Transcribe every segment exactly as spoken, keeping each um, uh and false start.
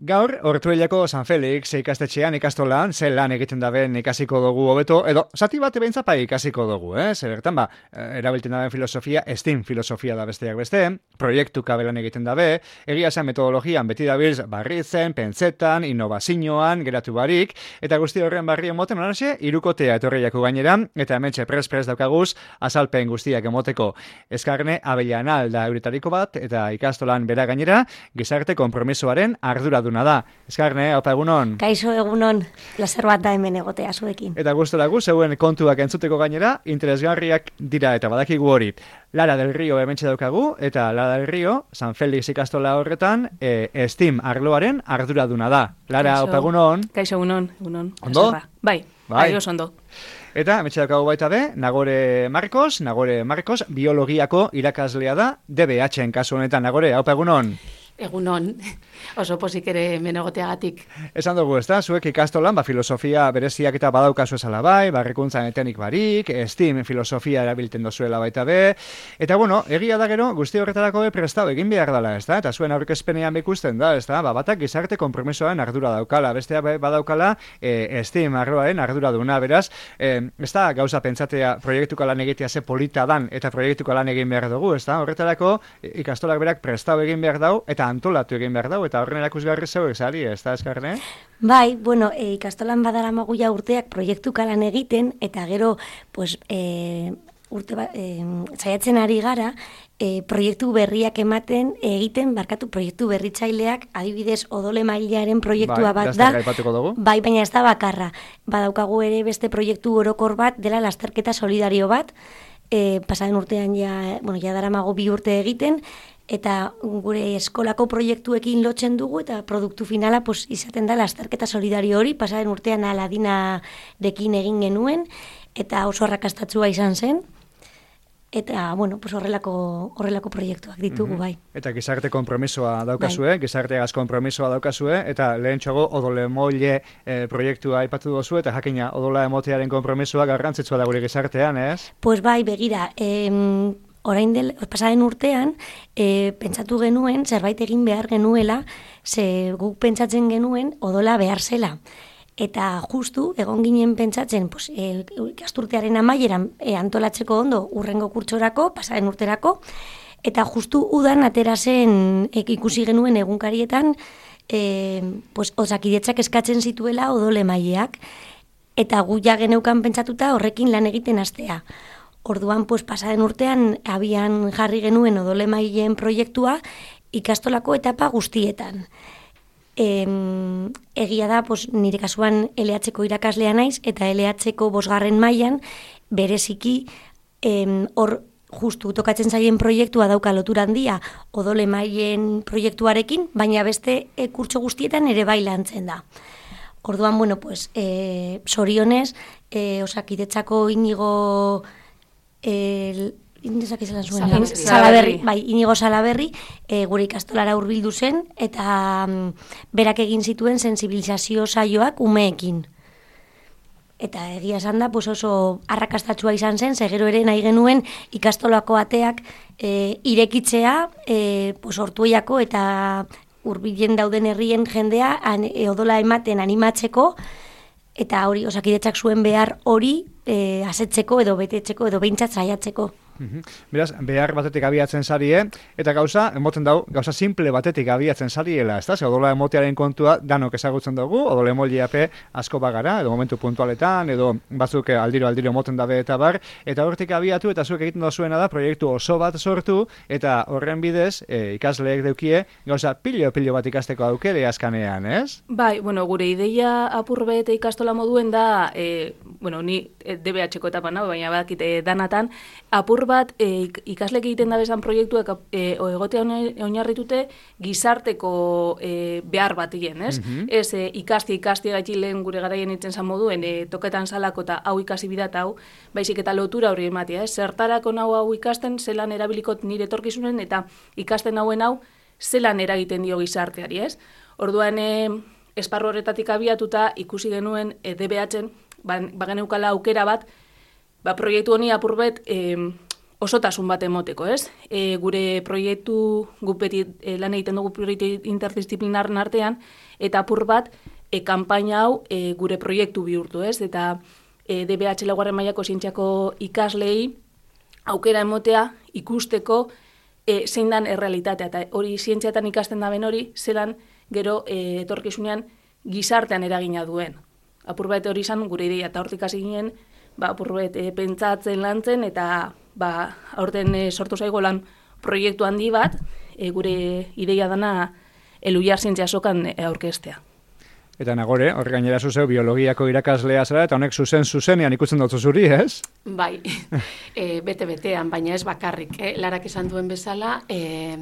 Gaur, Ortuellako San Felix ikastetxean ikastolan, ze lan egiten daben ikasiko dugu hobeto, edo zati bat ebentzapa ikasiko dugu, eh? Zerbertan ba, erabiltzen daben filosofia, STEAM filosofia da besteak beste, proiektu kabelan egiten dabe, egia zen metodologian beti dabilz barritzen, pentsetan, innovazioan, geratu barik, eta guzti horren barri emoten onarxe, irukotea etorriako gainera, eta hementxe pres-pres daukaguz, azalpen guztiak emoteko. Eskarne Avellanal da euretariko bat, eta ikastolan bera gainera, gizarte konpromisoaren ardura duna da. Eskarne, opa egunon. Kaixo egunon, plazer bat da hemen egotea zuekin. Eta gustora gu, zeuen kontuak entzuteko gainera, interesgarriak dira eta badakigu hori. Lara del Rio hementxe daukagu, eta Lara del Rio, San Felix ikastola horretan, e, STEAM arloaren arduraduna da. Lara, Kaixo, opa egunon. Kaixo egunon, egunon. Ondo? Bai, bai, bai, oso ondo. Eta, hementxe daukagu baita be, Nagore Marcos, Nagore Marcos, biologiako irakaslea da, D B H-en kasu honetan. Nagore, opa egunon. Egunon, oso pozik ere menegoteagatik. Esan dugu, ez da, zuek ikastolan, ba, filosofia bereziak eta badaukazu esala bai, barrikuntzan etenik barik, STEAM filosofia erabiltzen dozuela baita be, eta bueno, egia da gero, guzti horretarako be prestau egin behar dela, ez da, eta zuen aurkezpenean bekusten da, ez da, ba, batak gizarte konpromisoaren ardura daukala, bestea badaukala e, STEAM arloaren ardura duna, beraz, e, ez da, gauza pentsatea proiektuko lan egitea ze polita dan, eta proiektuko lan egin behar dugu, ez da, horretarako ikastolak berak prestau egin behar dau, eta antolatu egin behar dau, eta horren erakusgarri zeuek zari, ez da, Eskarne? Bai, bueno, e, ikastolan badara maguia urteak proiektu kalan egiten, eta gero, pues, e, urte ba, e, zaiatzen ari gara, e, proiektu berriak ematen, egiten, barkatu proiektu berritzaileak, adibidez, odole mailaren proiektua bai, bat da. Dugu. Bai, baina ez da bakarra. Badaukagu ere beste proiektu orokor bat, dela lasterketa solidario bat, e, pasaren urtean ja, bueno, ja daramago bi urte egiten, eta gure eskolako proiektuekin lotzen dugu, eta produktu finala pues, izaten da lasterketa solidario hori, pasaren urtean Aladinarekin egin genuen, eta oso arrakastatsua izan zen, eta, bueno, pues horrelako, horrelako proiektuak ditugu, bai. Eta gizarte konpromisoa daukazue, bai. Gizarteagaz konpromisoa daukazue, eta lehen txogo odole moile e, proiektua aipatu dozu, eta jakina odola emotearen konpromisoa garrantzitsua da gure gizartean, ez? Pues bai, begira, em, orain del, pasaren urtean, e, pentsatu genuen, zerbait egin behar genuela, ze guk pentsatzen genuen odola behar zela. Eta justu, egon ginen pentsatzen, pues, e, ikasturtearen amaieran e, antolatzeko ondo urrengo kurtsorako, pasaren urterako, eta justu udan atera zen e, ikusi genuen egunkarietan, e, pues, Osakidetzak eskatzen zituela odole maileak, eta gu ja geneukan pentsatuta horrekin lan egiten hastea. Orduan, pues, pasaren urtean, abian jarri genuen odole maileen proiektua ikastolako etapa guztietan. Em, egia da, pues, nire kasuan L H-ko irakaslea naiz, eta L H-ko bosgarren mailan bereziki em, hor justu tokatzen zaien proiektua dauka lotura handia odole maileen proiektuarekin, baina beste e, kurtso guztietan ere bai lantzen da. Orduan, bueno, pues, e, sorionez, e, Osakidetzako Inigo El, zuen, Salaberri, bai, Inigo Salaberri, e, gure ikastolara hurbildu zen, eta mm, berak egin zituen sensibilizazio saioak umeekin. Eta egia esan da, pues oso arrakastatsua izan zen, segero ere nahi genuen ikastolako ateak e, irekitzea, e, pues Ortuellako eta hurbilen dauden herrien jendea an, e, odola ematen animatzeko, eta hori Osakidetzak zuen behar hori e, asetzeko edo betetzeko edo behintzat saiatzeko. Uhum. Beraz, behar batetik abiatzen zarie, eta gauza, emoten dau, gauza simple batetik abiatzen zariela, ez da? Ze odola emotearen kontua danok ezagutzen dugu, odole emoliape asko bagara, edo momentu puntualetan, edo batzuk aldiro-aldiro emoten dabe eta bar, eta hortik abiatu, eta zuek egiten dozuena da, proiektu oso bat sortu, eta horren bidez, e, ikasleek deukie, gauza pilo-pilo bat ikasteko aukere askanean, ez? Bai, bueno, gure ideia apurbe eta ikastola moduen da, e, bueno, ni D B H-ko etapan, no? Baina badakit e, danatan, apur bat e, ikaslek egiten dabezan proiektuak e, egotea oinarritute gizarteko e, behar bat egin, ez? Mm-hmm. Ez e, ikasti, ikasti gaiti lehen gure garaien itzen zan moduen, e, toketan salako eta hau ikasi bidat hau, baizik eta lotura hori ematia, ez? Zertarako nau hau ikasten, zelan erabilikot nire etorkizunen, eta ikasten hauen hau, zelan eragiten dio gizarteari, ez? Orduan, e, esparru horretatik abiatuta ikusi genuen e, D B H-en, ba, bageneukala aukera bat, ba, proiektu honi apurbet, e, osotasun bat emoteko, ez? E, gure proiektu, guk beti e, lan egiten dugu proiektu interdisciplinaren artean, eta apur bat, e, kanpaina hau e, gure proiektu bihurtu, ez? Eta e, D B H laugarren mailako zientziako ikaslei aukera emotea ikusteko e, zein dan errealitatea, eta hori zientziatan ikasten daben hori, zelan gero e, etorkizunean gizartean eragina duen. Apur bat hori izan gure ideia, eta hortik hasi ginen, ba, apur bat e, pentsatzen lantzen, eta ba, aurten e, sortu zaigo lan proiektu handi bat, e, gure ideia dana Elhuyar zientzia azokan e, aurkeztea. Eta Nagore, horre gainera zuzeu biologiako irakaslea zara, eta honek zuzen zuzenean ikusten dut zuri, ez? Bai, e, bete-betean, baina ez bakarrik. Eh? Larak esan duen bezala, e,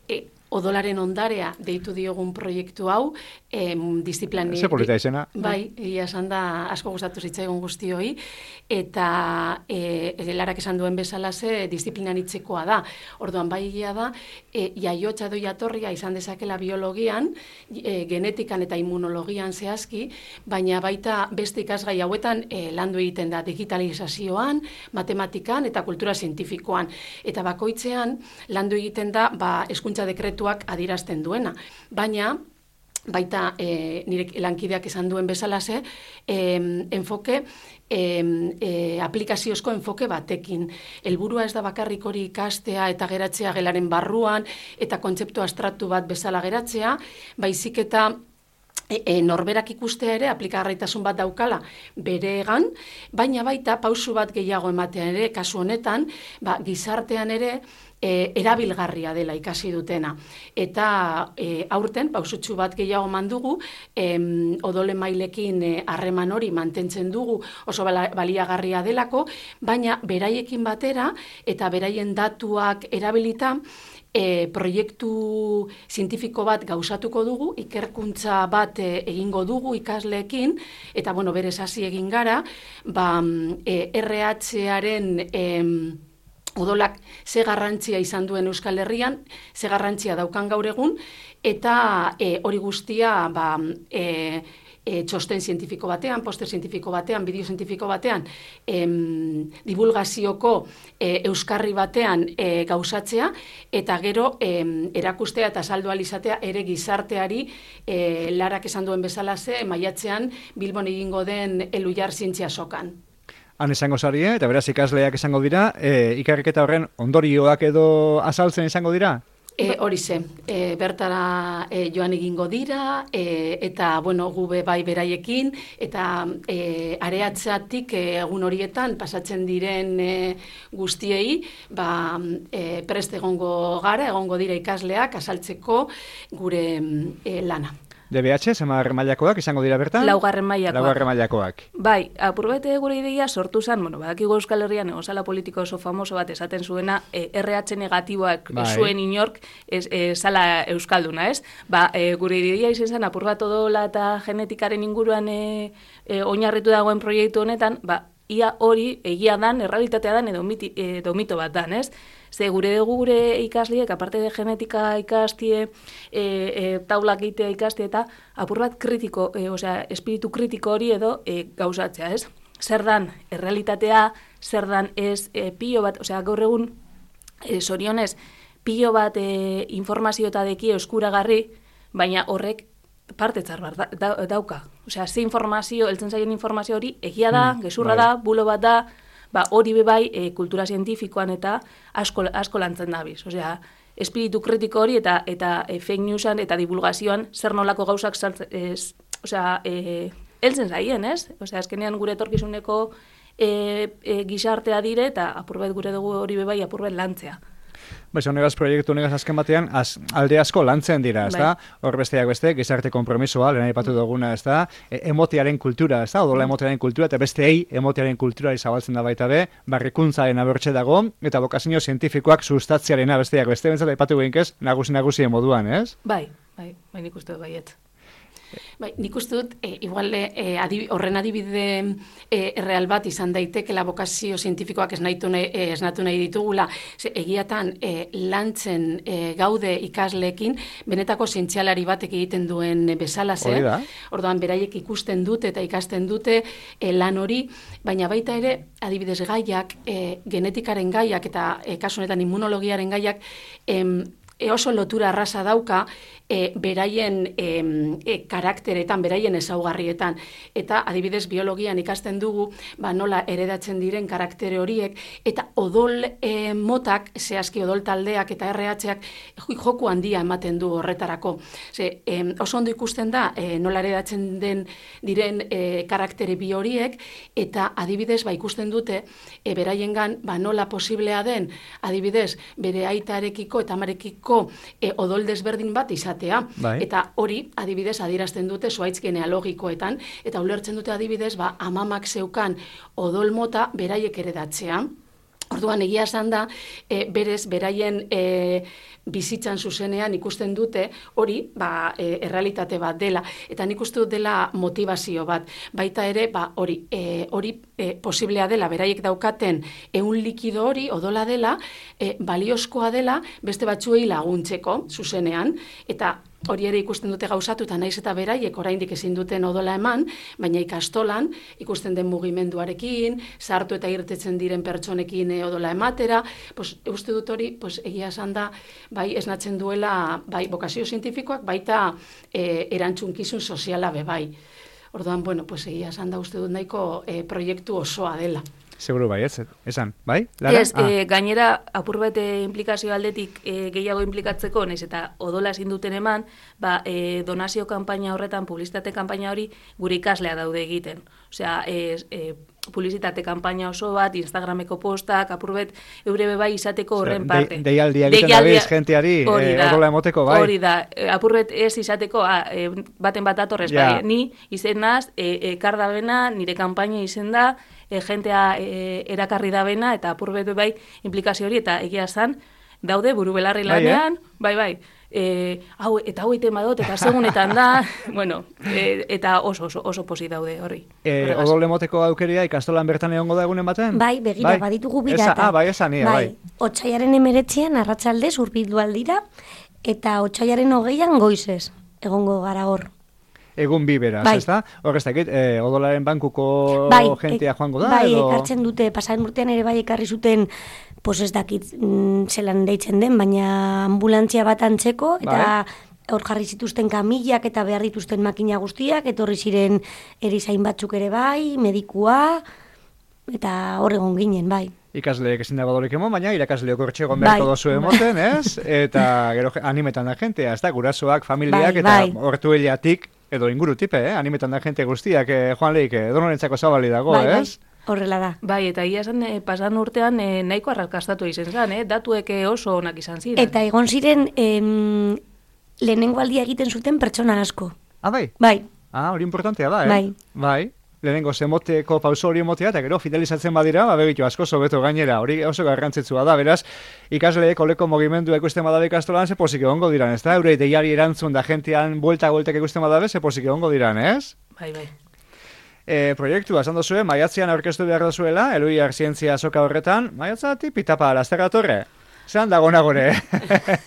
e, odolaren ondarea deitu diogun proiektu hau, e, disiplani... Ze polita izena. Bai, ia esan da asko gustatu zitzaigun guztioi, eta e, Larak esan duen bezala ze disiplinan hitzekoa da. Orduan, bai egia da, e, jaiotza edo jatorria izan dezakela biologian, e, genetikan eta immunologian zehazki, baina baita beste ikasgai hauetan e, landu egiten da digitalizazioan, matematikan eta kultura zientifikoan. Eta bakoitzean landu egiten da ba, hezkuntza dekretuak adierazten duena. Baina, baita e, nire lankideak esan duen bezalase, e, enfoke, e, e, aplikaziozko enfoke batekin. Helburua ez da bakarrik hori ikastea eta geratzea gelaren barruan, eta kontzeptu abstraktu bat bezala geratzea, baizik eta E, e, norberak ikustea ere aplikagarritasun bat daukala beregan, baina baita pausu bat gehiago ematean ere, kasu honetan, ba, gizartean ere e, erabilgarria dela ikasi dutena. Eta e, aurten, pausutxu bat gehiago mandugu, em, odole mailekin harreman hori mantentzen dugu oso baliagarria delako, baina beraiekin batera eta beraien datuak erabilita, E, proiektu zientifiko bat gauzatuko dugu, ikerkuntza bat e, egingo dugu ikasleekin, eta bueno, berez hasi egin gara, ba, e, R H-aren e, odolak ze garrantzia izan duen Euskal Herrian, ze garrantzia daukan gaur egun, eta e, hori guztia ba, e, E, txosten zientifiko batean, poster zientifiko batean, bideo zientifiko batean, em, divulgazioko e, euskarri batean e, gauzatzea, eta gero em, erakustea eta saldu alizatea ere gizarteari e, Larak esan duen bezalaze, maiatzean Bilbon egingo den Elhuyar zientzia azokan. Han izango zarie, eta beraz ikasleak izango dira, e, ikerketa horren ondorioak edo azaltzen izango dira? E, hori ze, e, bertara e, joan egingo dira, e, eta bueno, gube bai beraiekin, eta e, areatzatik e, egun horietan pasatzen diren e, guztiei, ba, e, prest egongo gara, egongo dira ikasleak asaltzeko gure e, lana. D B H, zemarren mailakoak izango dira bertan? Laugarren mailakoak. Laugarren mailakoak. Bai, apurbete gure ideia sortu zen, bueno, badakigu Euskal Herrian egozala politiko oso famoso bat esaten zuena, e, R H negatiboak bai. Zuen inork ez, e, zala euskalduna, ez? Ba, e, gure ideia izan zen, apurbat odola eta genetikaren inguruan e, e, oinarritu dagoen proiektu honetan, ba, ia hori egia dan, errealitatea dan, edo, miti, edo mito bat dan, ez? Ze gure dugu gure ikasliek, aparte de genetika ikastie, e, e, taulak egitea ikastie eta apur bat kritiko, e, osea, espiritu kritiko hori edo e, gauzatzea, ez? Zer dan errealitatea, zer dan ez e, pilo bat, osea, gaur egun, e, zorionez, pilo bat e, informazio eta deki eskuragarri, baina horrek partetzar bar da, da, dauka. Osea, ze informazio, eltzen zaien informazio hori, egia da, mm, gezurra bai. Da, bulo bat da, ba, hori bebai e, kultura zientifikoan eta asko, asko lantzen dabiz. Osea, espiritu kritiko hori eta eta e, fake newsan eta divulgazioan zer nolako gauzak saltzen, ez, osea, e, eltzen zaien, ez? Osea, azkenean gure etorkizuneko e, e, gizartea dire eta apurbet gure dugu hori bebai apurbet lantzea. Baiz, honegaz proiektu honegaz azken batean, az, alde asko lantzen dira, ez da? Hor besteak beste, gizarte konpromisoa, lehen aipatu duguna, ez da? E, emotearen kultura, ez da? Odola emotearen kultura, eta besteei emotearen kultura izabaltzen da baita be, barrikuntzaren abertxe dago, eta bokazio zientifikoak sustatziarena besteak beste, bentsat aipatu gehinkez, nagusi-nagusien moduan, ez? Bai, bai, bai nik uste dut baiet. Bai, nik uste dut, e, igual e, adib, horren adibide e, erreal bat izan daitekela bokazio zientifikoak esnatu nahi, e, esnatu nahi ditugula, ze, egiatan e, lantzen e, gaude ikasleekin, benetako zientzialari batek egiten duen bezala ze, orduan beraiek ikusten dute eta ikasten dute e, lan hori, baina baita ere, adibidez gaiak, e, genetikaren gaiak eta e, kasu honetan immunologiaren gaiak, em, E oso lotura arrasa dauka e, beraien e, e, karakteretan, beraien ezaugarrietan. Eta adibidez biologian ikasten dugu ba, nola heredatzen diren karaktere horiek eta odol e, motak, zehazki odol taldeak eta R H-ak joku handia ematen du horretarako. Ze, e, oso ondo ikusten da e, nola heredatzen den diren e, karaktere bi horiek eta adibidez ba, ikusten dute e, beraiengan ba, nola posiblea den adibidez bere aitarekiko eta amarekiko E, odol desberdin bat izatea. Bai. Eta hori, adibidez, adierazten dute zuaitz genealogikoetan, eta ulertzen dute adibidez, ba, amamak zeukan odol mota beraiek eredatzea. Orduan, egia esan da, e, berez, beraien e, bizitzan zuzenean ikusten dute hori ba, e, errealitate bat dela. Eta nik uste dut dela motivazio bat. Baita ere, ba, hori, e, hori e, posiblea dela, beraiek daukaten ehun likido hori, odola dela, e, baliozkoa dela, beste batzuei laguntzeko zuzenean, eta hori ere ikusten dute gauzatu, eta naiz eta beraiek oraindik ezin duten odola eman, baina ikastolan ikusten den mugimenduarekin, sartu eta irtetzen diren pertsonekin odola ematera, pues, uste dut hori, pues, egia esan da, bai, esnatzen duela, bai, bokazio zientifikoak, baita e, erantzunkizun soziala be bai. Orduan, bueno, pues, egia esan da uste dut nahiko e, proiektu osoa dela. Seguro bai, ez, esan, bai? Lara? Ez, ah. e, gainera, apur bete implikazio aldetik e, gehiago implikatzeko, naiz eta odola ezin duten eman, ba, e, donazio kanpaina horretan, publizitate kanpaina hori, gure ikaslea daude egiten. Osea, e, e, publizitate kanpaina oso bat, Instagrameko postak, apurbet, eure bebai izateko horren parte. De, deialdia egiten dabiz, jenteari, e, odola emoteko, bai? Hori da, apurbet ez izateko, a, e, baten bat atorrez, ja. Bai, ni izenaz, e, e, kardabena, nire kanpaina izen da, e, jentea e, erakarri dabena, eta apurbet bai implikazio hori, eta egia zan, daude buru belarri lanean, bai, bai, E, hau, eta hau egiten badot, eta segunetan da, bueno, e, eta oso, oso, oso posi daude horri. E, odol emoteko aukeria ikastolan bertan egongo da egunen baten? Bai, begira, bai? Baditugu bidata. Ah, bai, esan, ia, bai. bai. Otsaiaren emeretzian, arratsaldez urbildu aldira, eta otsaiaren hogeian goizez, egongo gara hor. Egun bi beraz, bai. Ez da? Horrez dakit, e, odolaren bankuko bai, jentea joango da? Bai, edo... ekartzen dute, pasaren urtean ere bai ekarri zuten, pues ez dakit mm, zelan deitzen den, baina ambulantzia bat antzeko, eta hor bai. Jarri zituzten kamillak eta behar dituzten makina guztiak, etorri ziren erizain batzuk ere bai, medikua, eta hor egon ginen, bai. Ikasleek ezin dago dolik emon, baina irakasleok hortxe egon beharko bai. Dozu emoten, ez? Eta gero animetan da jentea, ez da? Gurasoak, familiak, bai, eta bai. Hortu heliatik, edo inguru tipe, eh? Animetan da jente guztiak, eh, Juan Leik, eh, donorentzako zabali dago, bai, ez? Bai. Horrela da. Bai, eta ia esan, eh, pasan urtean eh, nahiko arrakastatu izan zen, eh? Datuek oso onak izan ziren. Eta egon ziren em, lehenengo aldia egiten zuten pertsona asko. Ah, bai? Bai. Ah, hori importantea da, eh? Bai. Bai. Lehenengo zemoteko pauso hori emotea, eta gero fidelizatzen badira, ba, begitu asko sobeto gainera, hori oso garrantzitsua da, beraz, ikasleek oleko mugimendu ikusten badabe ikastolan, ze posik egongo diran, ez da? Eurei deiari erantzun da jentean buelta-bueltak ikusten badabe, ze posik egongo diran, ez? Bai, bai. E, proiektua, esan dozue, maiatzean aurkeztu behar dozuela, Eluiar zientzia soka horretan, maiatzatik pitapa, lasterra torre. Zeran dago nagore,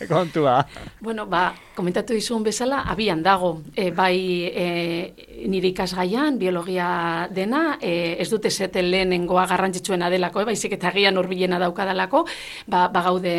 kontua. Bueno, ba, komentatu dizun bezala, abian dago, e, bai e, nire ikasgaian, biologia dena, e, ez dute zeten lehenengoa garrantzitsuena delako, e, baizik eta gian urbilena daukadalako, ba, ba gaude,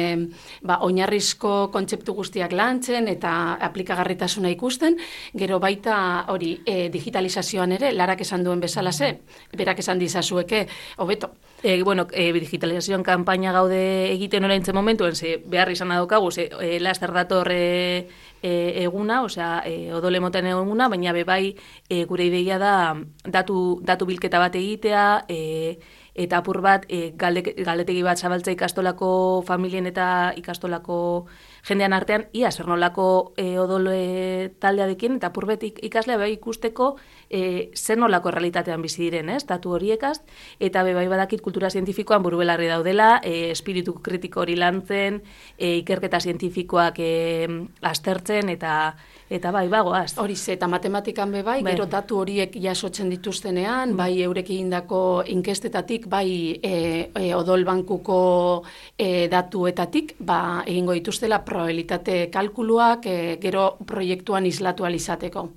ba, oinarrizko kontzeptu guztiak lantzen eta aplikagarritasuna ikusten, gero baita hori e, digitalizazioan ere, Larak esan duen bezala ze, berak esan dizazueke, hobeto. E, bueno, e, digitalizazioan kanpaina gaude egiten oraintzen momentuen, ze behar izan daukagu, ze e, laster dator e, e, eguna, osea, e, odole moten eguna, baina bebai e, gure ideia da datu, datu bilketa bat egitea, e, eta apur bat e, galde, galdetegi bat zabaltza ikastolako familien eta ikastolako jendean artean, ia zer nolako e, odol e, taldearekin, eta apurbetik ikaslea bai ikusteko e, zer nolako realitatean bizi diren, ez, datu horiekaz, eta bai badakit kultura zientifikoan buru belarri daudela, e, espiritu kritiko hori lantzen, e, ikerketa zientifikoak e, aztertzen, eta eta bai, bagoaz. Hori ze, eta matematikan be bai, bai, gero datu horiek jasotzen dituztenean, bai eurek egindako inkestetatik, bai e, e, odol bankuko e, datuetatik, ba, egingo dituztela probabilitate kalkuluak e, gero proiektuan islatu alizateko.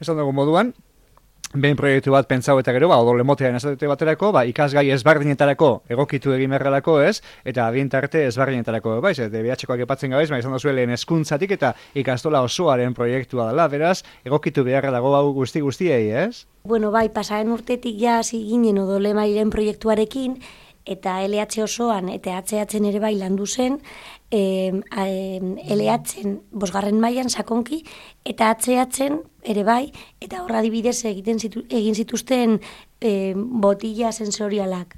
Esan dugu moduan, behin proiektu bat pentsau eta gero, ba, odol emotean esate baterako, ba, ikasgai ezberdinetarako egokitu egin beharrelako, ez, eta adintarte ezberdinetarako, baiz, D B H-koak epatzen gabeiz, ba, izan dozue lehen hezkuntzatik eta ikastola osoaren proiektua dela, beraz, egokitu beharra dago hau guzti guztiei, ez? Bueno, bai, pasaren urtetik ja hasi ginen odol emailen proiektuarekin, eta L H osoan eta H H-en ere bai landu zen, e, L H-en bosgarren mailan sakonki, eta H H-en ere bai, eta horra adibidez egiten zitu, egin zituzten e, botilla sensorialak.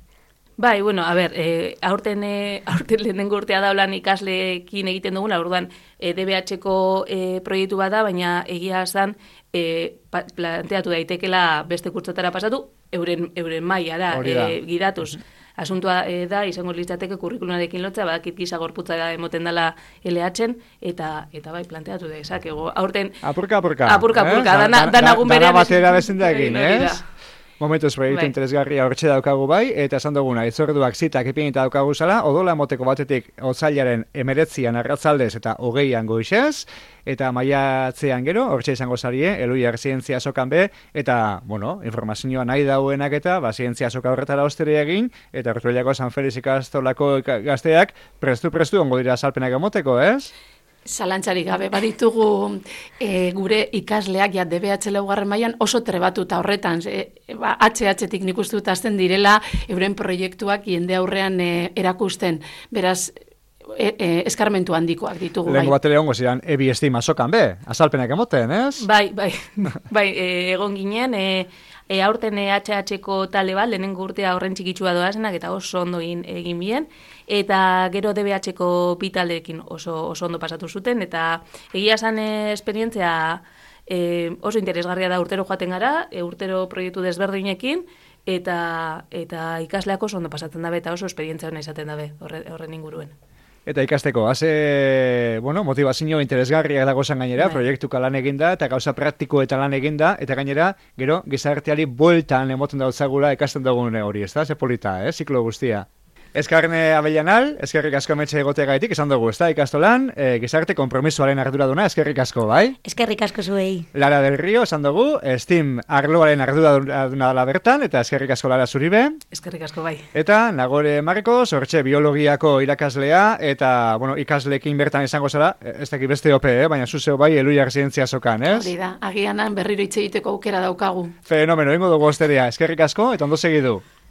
Bai, bueno, a ber, e, aurten, e, aurten lehenengo urtea daulan ikasleekin egiten duguna, orduan e, D B H-ko e, proiektu bada, baina egia zan e, planteatu daitekela beste kurtsotara pasatu, euren, euren mailara e, gidatuz. Asuntua e, da, izango litzateke kurrikulunarekin lotza, badakit gisa gorputza emoten dela L H-en, eta, eta bai, planteatu dezakegu. Aurten... Apurka, apurka. Apurka, apurka, eh? dana, dana berean... Dana batera bezendakin, ez? ez? Momentuz proiektu bai, interesgarria hortxe daukagu bai, eta esan duguna, itzorduak zitak ipinita daukagu zala, odola moteko batetik otsailaren emeretzian arratzaldez eta hogeian goizez, eta maiatzean gero, hortxe izango zarie, Eluiar zientzia sokan be, eta, bueno, informazioa nahi dauenak eta, ba, zientzia soka horretara ostere egin, eta Ortuellako San Feliz ikastolako gazteak prestu-prestu ongo dira salpenak emoteko, ez? Zalantzarik gabe, baditugu e, gure ikasleak ja D B H laugarren mailan oso trebatuta horretan, e, ba, H H-tik nik uste dut hasten direla euren proiektuak jende aurrean e, erakusten, beraz, e, e, eskarmentu handikoak ditugu. Lehenko bai. batele ongo ziren, ebi estima sokan be, azalpenak emoten, ez? Bai, bai, bai, e, egon ginen, e, E, aurten H H-ko tale bat, lehenengo urtea horren txikitsua doazenak, eta oso ondo egin, egin bien, eta gero D B H-ko bi taldeekin oso, oso ondo pasatu zuten, eta egia esan e, esperientzia e, oso interesgarria da urtero joaten gara, e, urtero proiektu desberdinekin, eta, eta ikasleak oso ondo pasatzen dabe, eta oso esperientzia hona izaten dabe horre, horren inguruen. Eta ikasteko, haze, bueno, motivazio interesgarriak dago zan gainera, bai, proiektuka lan eginda, eta gauza praktiko eta lan eginda, eta gainera, gero, gizarteari bueltan emoten dautzagula ikasten dugun hori, ez da? Ze polita, eh? Ziklo guztia. Eskarne Abellanal, eskerrik asko metxe egoteagaitik, esan dugu, ez da, ikastolan, e, gizarte konpromisoaren arduraduna, eskerrik asko, bai? Eskerrik asko zuei. Lara del Rio, esan dugu, Steam arloaren arduraduna dela bertan, eta eskerrik asko Lara zuribe. Eskerrik asko bai. Eta Nagore Marcos, hortxe biologiako irakaslea, eta, bueno, ikasleekin bertan izango zara, ez dakit beste ope, eh? Baina zuzeo bai, Eluiar zientzia sokan, ez? Hori da, agianan berriro hitz egiteko aukera daukagu. Fenomeno, ingo dugu osteria, eskerrik asko, eta ondo segidu.